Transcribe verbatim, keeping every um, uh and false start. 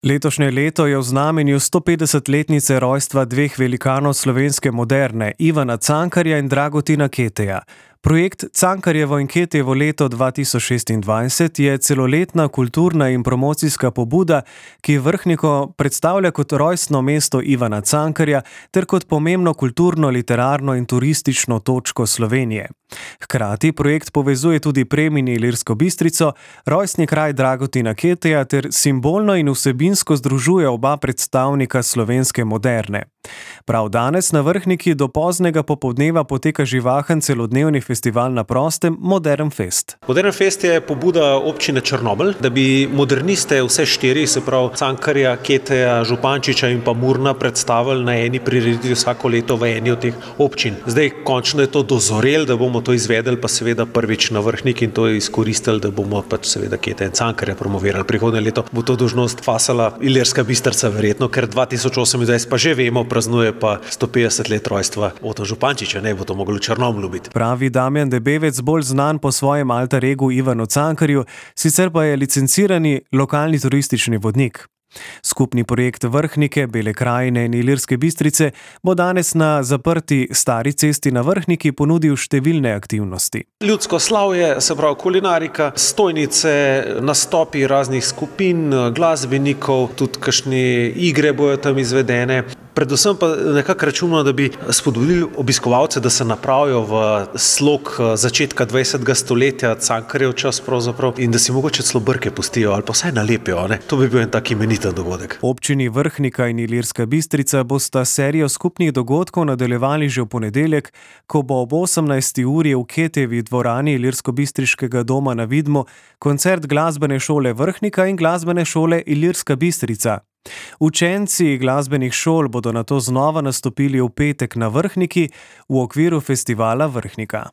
Letošnje leto je v znamenju stopetdesetletnice rojstva dveh velikanov slovenske moderne, Ivana Cankarja in Dragutina Keteja. Projekt Cankarjevo in Ketejevo leto dva tisoč šestindvajset je celoletna kulturna in promocijska pobuda, ki Vrhniko predstavlja kot rojstno mesto Ivana Cankarja ter kot pomembno kulturno, literarno in turistično točko Slovenije. Hkrati projekt povezuje tudi Premin in Ilirsko Bistrico, rojstni kraj Dragutina Keteja ter simbolno in vsebinsko združuje oba predstavnika slovenske moderne. Prav danes na Vrhniki do poznega popoldneva poteka živahen celodnevni festival na prostem Modern Fest. Modern Fest je pobuda občine Črnomelj, da bi moderniste vse štiri, se pravi Cankarja, Keteja, Župančiča in pa Murna predstavili na eni prireditvi vsako leto v eni od teh občin. Zdaj končno je to dozorelo, da bomo to izvedeli, pa seveda prvič na Vrhniki in to izkoristili, da bomo pač seveda Keteja in Cankarja promovirali. Prihodnje leto bo to dolžnost fasala Ilirska Bistrica verjetno, ker dva tisoč osemindvajset pa že vemo, praznuje pa sto petdeset let rojstva Oto Župančiča, ne bo to moglo v Črnomlju biti. Pravi Damjan Debevec, bolj znan po svojem alter egu Ivanu Cankarju, sicer pa je licencirani lokalni turistični vodnik. Skupni projekt Vrhnike, Bele krajine in Ilirske Bistrice bo danes na zaprti Stari cesti na Vrhniki ponudil številne aktivnosti. Ljudsko slavje, se pravi kulinarika, stojnice, nastopi raznih skupin, glasbenikov, tudi kakšne igre bojo tam izvedene. Predvsem pa nekako računamo, da bi spodbudili obiskovalce, da se napravijo v slog začetka dvajsetega stoletja, Cankarjev čas pravzaprav, in da si mogoče celo brke pustijo ali pa vsaj nalepijo. Ne? To bi bil en tak imeniten dogodek. Občini Vrhnika in Ilirska Bistrica bosta serijo skupnih dogodkov nadaljevali že v ponedeljek, ko bo ob osemnajsti uri v Ketejevi dvorani Ilirsko-Bistriškega doma na Vidmu koncert glasbene šole Vrhnika in glasbene šole Ilirska Bistrica. Učenci glasbenih šol bodo nato znova nastopili v petek na Vrhniki v okviru festivala Vrhnika.